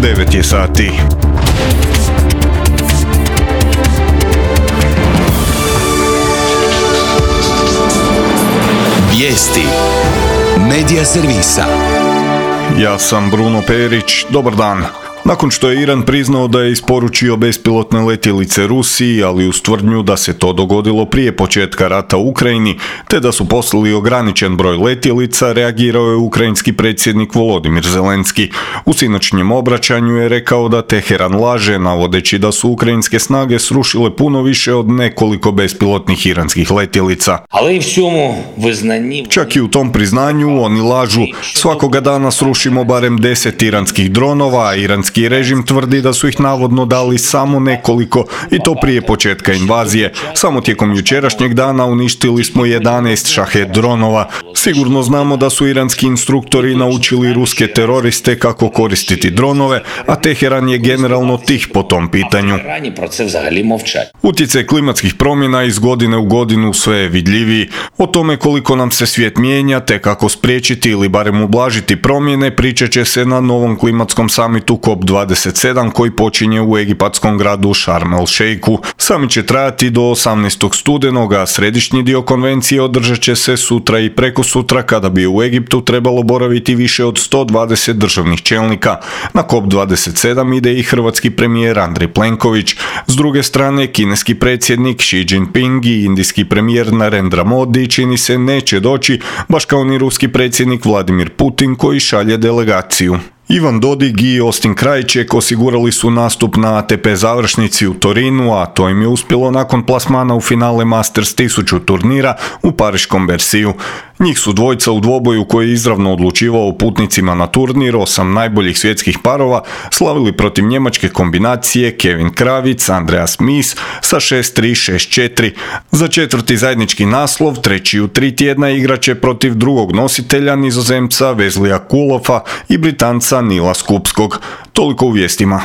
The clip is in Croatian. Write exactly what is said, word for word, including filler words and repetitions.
devet je sati. Vijesti Medija servisa. Ja sam Bruno Perić, dobar dan. Nakon što je Iran priznao da je isporučio bespilotne letjelice Rusiji, ali uz tvrdnju da se to dogodilo prije početka rata u Ukrajini, te da su poslali ograničen broj letjelica, reagirao je ukrajinski predsjednik Volodimir Zelenski. U sinoćnjem obraćanju je rekao da Teheran laže, navodeći da su ukrajinske snage srušile puno više od nekoliko bespilotnih iranskih letjelica. Čak i u tom priznanju oni lažu. Svakoga dana srušimo barem deset iranskih dronova, a iranski režim tvrdi da su ih navodno dali samo nekoliko, i to prije početka invazije. Samo tijekom jučerašnjeg dana uništili smo jedanaest šahed dronova. Sigurno znamo da su iranski instruktori naučili ruske teroriste kako koristiti dronove, a Teheran je generalno tih po tom pitanju. Utjecaj klimatskih promjena iz godine u godinu sve je vidljiviji. O tome koliko nam se svijet mijenja, te kako spriječiti ili barem ublažiti promjene, pričat će se na novom klimatskom samitu C O P dvadeset sedam koji počinje u egipatskom gradu Sharm el Sheikhu. Samit će trajati do osamnaestog studenog, a središnji dio konvencije održat će se sutra i prekosutra, kada bi u Egiptu trebalo boraviti više od sto dvadeset državnih čelnika. Na C O P dvadeset sedam ide i hrvatski premijer Andrej Plenković. S druge strane, kineski predsjednik Xi Jinping i indijski premijer Narendra Modi čini se neće doći, baš kao ni ruski predsjednik Vladimir Putin koji šalje delegaciju. Ivan Dodig i Austin Krajček osigurali su nastup na A T P završnici u Torinu, a to im je uspjelo nakon plasmana u finale Masters tisuću turnira u pariškom Bercyju. Njih su dvojca u dvoboju koji je izravno odlučivao o putnicima na turnir, osam najboljih svjetskih parova, slavili protiv njemačke kombinacije Kevin Kravic, Andreas Mies sa šest tri šest četiri. Za četvrti zajednički naslov, treći u tri tjedna, igraće protiv drugog nositelja, Nizozemca Weslija Koolhoffa i Britanca Nila Skupskog. Toliko u vijestima.